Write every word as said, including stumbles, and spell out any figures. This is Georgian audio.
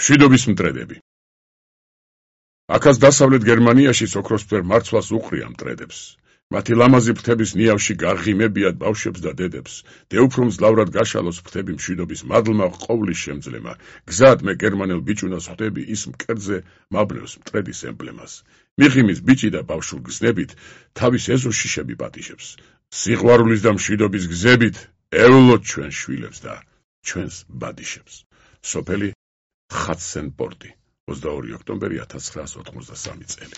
მშვიდობის მტრედები. აქაც დასავლეთ გერმანიაში ოქროსფერ მარცვალს უყრია მტრედებს. მათი ლამაზი ფრთების ნიავში გარღიმებიათ ბავშვებს და დედებს. დეუფლ მძლავრად გაშალოს ფრთები მშვიდობის მადლმა ყოვლის შემძლემა. გზად მე გერმანელ ბიჭუნას ხვდები ის მკერდზე მაბნევს მტრედის ემბლემას. მიღიმის ბიჭი და ბავშვურ გზნებით თავის ეზოს შიშები პატიჟებს. სიყვარულის და მშვიდობის გზებით ევლოთ ჩვენ შვილებს და ჩვენს ბადიშებს. სოფელი ხატსენპორტი, ოცდაორი ოქტომბერი ათას ცხრაას ოთხმოცდასამი წელი.